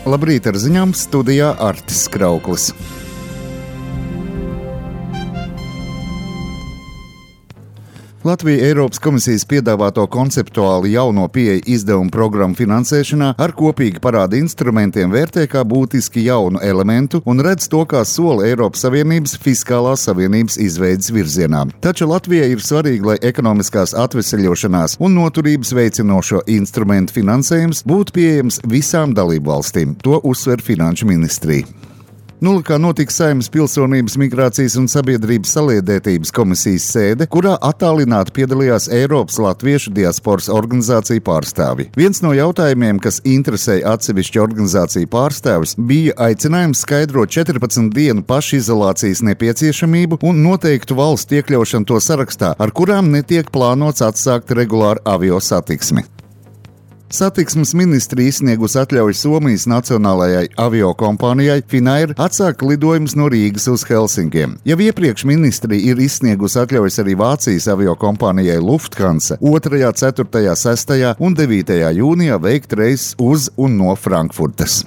Labrīt, ar ziņām studijā Artis Krauklis. Latvija Eiropas komisijas piedāvāto konceptuāli jauno pieeju izdevumu programmu finansēšanā ar kopīgi parāda instrumentiem vērtē kā būtiski jaunu elementu un redz to kā soli Eiropas Savienības fiskālās savienības izveides virzienā. Taču Latvijai ir svarīgi, lai ekonomiskās atveseļošanās un noturības veicinošo instrumentu finansējums būtu pieejams visām dalībvalstīm. To uzsver Finanšu ministrija. Nulikā notika Saeimas Pilsonības, migrācijas un sabiedrības saliedētības komisijas sēde, kurā attālināti piedalījās Eiropas latviešu diasporas organizāciju pārstāvji. Viens no jautājumiem, kas interesēja atsevišķu organizāciju pārstāvis, bija aicinājums skaidrot 14 dienu pašizolācijas nepieciešamību un noteiktu valstu iekļaušanu to sarakstā, ar kurām netiek plānots atsākt regulāru avio satiksmi. Satiksmes ministrija izsniegusi atļauju Somijas nacionālajai aviokompānijai Finnair atsākt lidojumus no Rīgas uz Helsinkiem. Jau iepriekš ministrija ir izsniegusi atļaujas arī Vācijas aviokompānijai Lufthansa 2., 4., 6. un 9. jūnijā veikt reises uz un no Frankfurtas.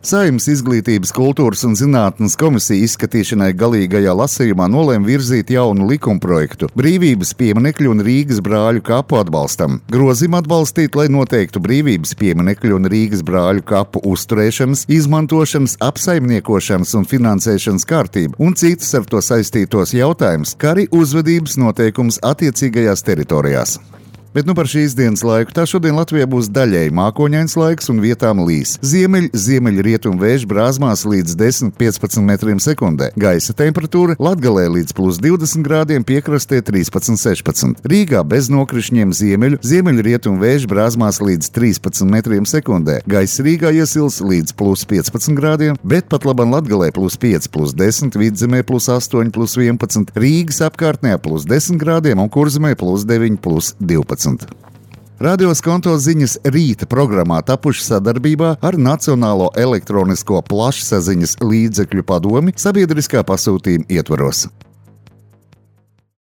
Saeimas Izglītības, kultūras un zinātnes komisija izskatīšanai galīgajā lasījumā nolēma virzīt jaunu likumprojektu Brīvības pieminekļu un Rīgas brāļu kapu atbalstam. Grozījumu atbalstīt, lai noteiktu Brīvības pieminekļu un Rīgas brāļu kapu uzturēšanas, izmantošanas, apsaimniekošanas un finansēšanas kārtību un citas ar to saistītos jautājumus, kā arī uzvedības noteikums attiecīgajās teritorijās. Bet par šīs dienas laiku tā šodien Latvijā būs daļēji mākoņains laiks un vietām līs. Ziemeļrietumu vēju brāzmās līdz 10–15 metriem sekundē. Gaisa temperatūra Latgalē līdz +20 grādiem, piekrastē 13–16. Rīgā bez nokrišņiem ziemeļrietumu vēju brāzmās līdz 13 metriem sekundē. Gaisa Rīgā iesils līdz +15 grādiem, bet pat laban Latgalē +5–10, Vidzemē +8–11, Rīgas apkārtnē +10 grādiem un Kurzemē +9–12. Radio Skonto ziņas rīta programmā tapuši sadarbībā ar Nacionālo elektronisko plašsaziņas līdzekļu padomi sabiedriskā pasūtījuma ietvaros.